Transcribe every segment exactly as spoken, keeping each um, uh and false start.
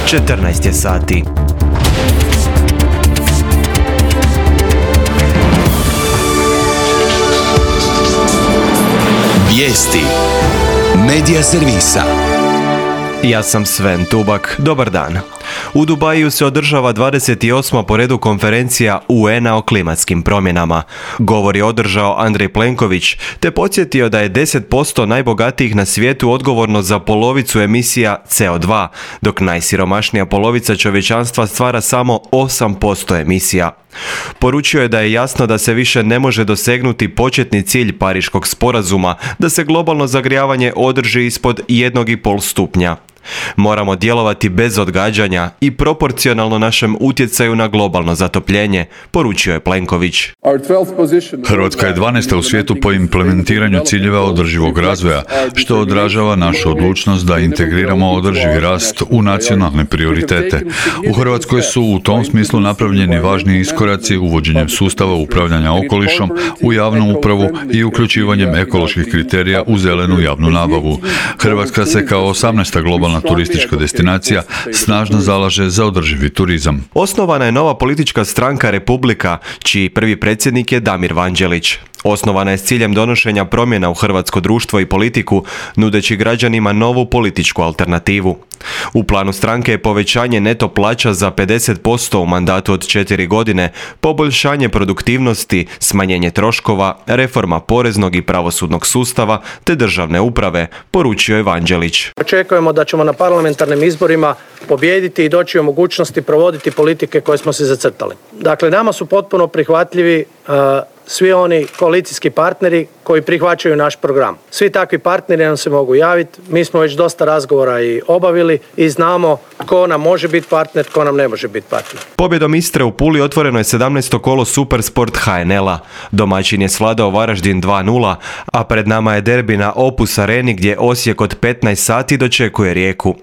četrnaest je sati. Vijesti Medija servisa. Ja sam Sven Tubak, dobar dan. U Dubaju se održava dvadeset osma po redu konferencija U N A o klimatskim promjenama. Govor je održao Andrej Plenković, te podsjetio da je deset posto najbogatijih na svijetu odgovorno za polovicu emisija C O dva, dok najsiromašnija polovica čovječanstva stvara samo osam posto emisija. Poručio je da je jasno da se više ne može dosegnuti početni cilj Pariškog sporazuma, da se globalno zagrijavanje održi ispod jednog i pol stupnja. Moramo djelovati bez odgađanja i proporcionalno našem utjecaju na globalno zatopljenje, poručio je Plenković. Hrvatska je dvanaesta u svijetu po implementiranju ciljeva održivog razvoja, što odražava našu odlučnost da integriramo održivi rast u nacionalne prioritete. U Hrvatskoj su u tom smislu napravljeni važni iskoraci uvođenjem sustava upravljanja okolišom u javnu upravu i uključivanjem ekoloških kriterija u zelenu javnu nabavu. Hrvatska se kao osamnaesta globalna turistička destinacija snažno zalaže za održivi turizam. Osnovana je nova politička stranka Republika, čiji prvi predsjednik je Damir Vanđelić. Osnovana je s ciljem donošenja promjena u hrvatsko društvo i politiku, nudeći građanima novu političku alternativu. U planu stranke je povećanje neto plaća za pedeset posto u mandatu od četiri godine, poboljšanje produktivnosti, smanjenje troškova, reforma poreznog i pravosudnog sustava te državne uprave, poručio je Vanđelić. Očekujemo da ćemo na parlamentarnim izborima pobijediti i doći u mogućnosti provoditi politike koje smo se zacrtali. Dakle, nama su potpuno prihvatljivi uh, svi oni koalicijski partneri koji prihvaćaju naš program. Svi takvi partneri nam se mogu javiti. Mi smo već dosta razgovora i obavili i znamo tko nam može biti partner, tko nam ne može biti partner. Pobjedom Istre u Puli otvoreno je sedamnaesto kolo Supersport H N L-a. Domaćin je svladao Varaždin dva nula, a pred nama je derbi na Opus Areni gdje Osijek od petnaest sati dočekuje Rijeku.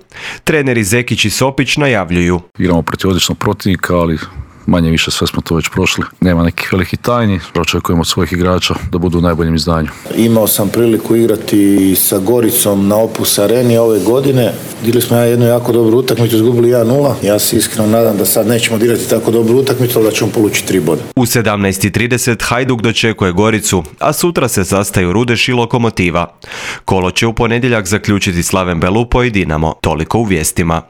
Treneri Zekić i Sopić najavljuju. Igramo protiv odličnog protivnika, ali manje više sve smo to već prošli. Nema nekih velikih tajni, očekujemo od svojih igrača da budu u najboljem izdanju. Imao sam priliku igrati sa Goricom na Opus Areni ove godine. Igrali smo jednu jako dobru utakmicu, izgubili jedan nula. Ja se iskreno nadam da sad nećemo igrati tako dobru utakmicu, ali da ćemo polučiti tri boda. U sedamnaest i trideset Hajduk dočekuje Goricu, a sutra se sastaju Rudeš i Lokomotiva. Kolo će u ponedjeljak zaključiti Slaven Belupo i Dinamo. Toliko u vijestima.